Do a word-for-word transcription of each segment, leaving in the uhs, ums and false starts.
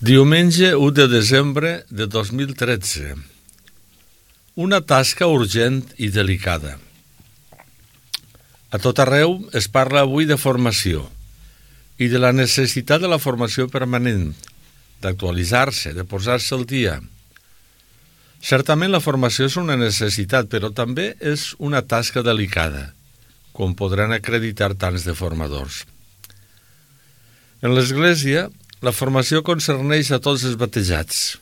Diumenge u de desembre de dos mil tretze. Una tasca urgent i delicada. A tot arreu es parla avui de formació i de la necessitat de la formació permanent, d'actualitzar-se, de posar-se al dia. Certament la formació és una necessitat, però també és una tasca delicada, com podran acreditar tants de formadors. En l'Església, la formació concerneix a tots els batejats,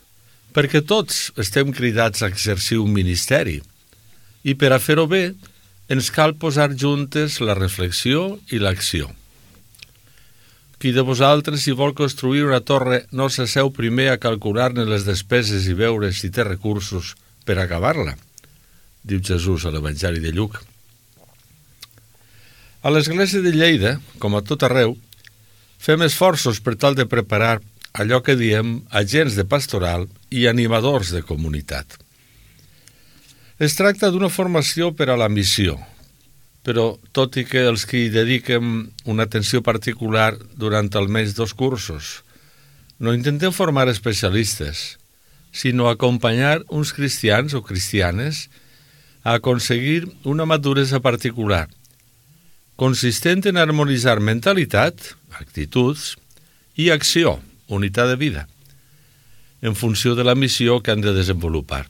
perquè tots estem cridats a exercir un ministeri, i per a fer-ho bé ens cal posar juntes la reflexió i l'acció. Qui de vosaltres, si vol construir una torre, no s'asseu primer a calcular-ne les despeses i veure si té recursos per acabar-la, diu Jesús a l'Evangeli de Lluc. A l'Església de Lleida, com a tot arreu, fem esforços per tal de preparar allò que diem agents de pastoral i animadors de comunitat. Es tracta d'una formació per a la missió, però tot i que els que hi dediquem una atenció particular durant almenys dos cursos, no intentem formar especialistes, sinó acompanyar uns cristians o cristianes a aconseguir una maduresa particular, consistent en harmonitzar mentalitat, actituds i acció, unitat de vida, en funció de la missió que han de desenvolupar.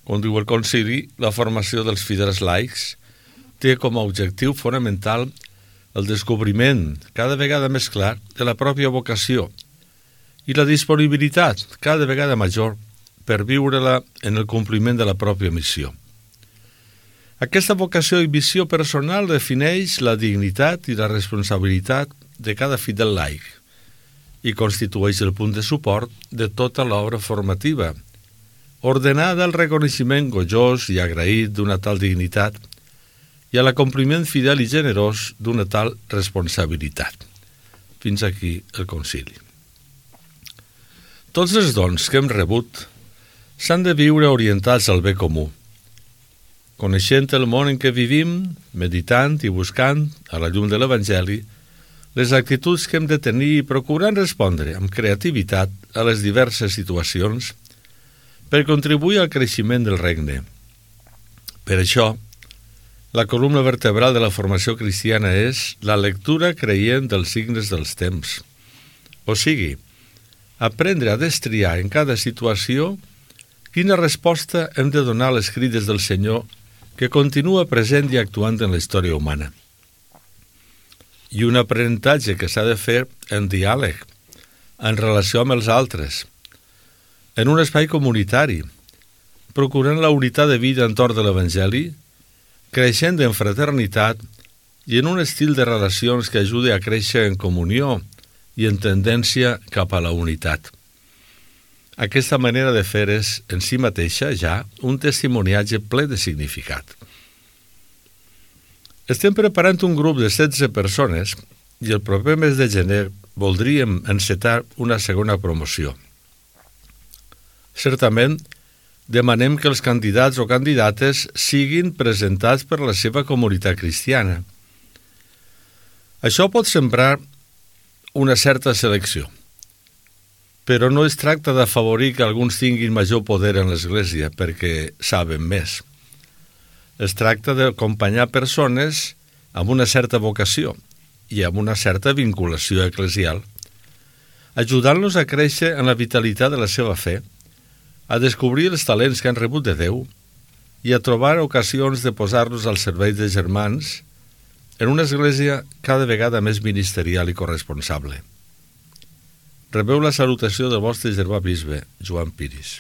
Com diu el concili, la formació dels fidels laics té com a objectiu fonamental el descobriment, cada vegada més clar, de la pròpia vocació i la disponibilitat, cada vegada major, per viure-la en el compliment de la pròpia missió. Aquesta vocació i missió personal defineix la dignitat i la responsabilitat de cada fidel laic i constitueix el punt de suport de tota l'obra formativa, ordenada al reconeixement gojós i agraït d'una tal dignitat i a l'acompliment fidel i generós d'una tal responsabilitat. Fins aquí el concili. Tots els dons que hem rebut s'han de viure orientats al bé comú, coneixent el món en què vivim, meditant i buscant, a la llum de l'Evangeli, les actituds que hem de tenir i procurant respondre amb creativitat a les diverses situacions per contribuir al creixement del regne. Per això, la columna vertebral de la formació cristiana és la lectura creient dels signes dels temps. O sigui, aprendre a destriar en cada situació quina resposta hem de donar a les crides del Senyor que continua present i actuant en la història humana. I un aprenentatge que s'ha de fer en diàleg, en relació amb els altres, en un espai comunitari, procurant la unitat de vida entorn de l'Evangeli, creixent en fraternitat i en un estil de relacions que ajudi a créixer en comunió i en tendència cap a la unitat. Aquesta manera de fer és, en si mateixa, ja un testimoniatge ple de significat. Estem preparant un grup de setze persones i el proper mes de gener voldríem encetar una segona promoció. Certament, demanem que els candidats o candidates siguin presentats per la seva comunitat cristiana. Això pot sembrar una certa selecció, però no es tracta d'afavorir que alguns tinguin major poder en l'Església perquè saben més. Es tracta d'acompanyar persones amb una certa vocació i amb una certa vinculació eclesial, ajudant-los a créixer en la vitalitat de la seva fe, a descobrir els talents que han rebut de Déu i a trobar ocasions de posar-los al servei de germans en una església cada vegada més ministerial i corresponsable. Rebeu la salutació del vostre germà bisbe, Joan Piris.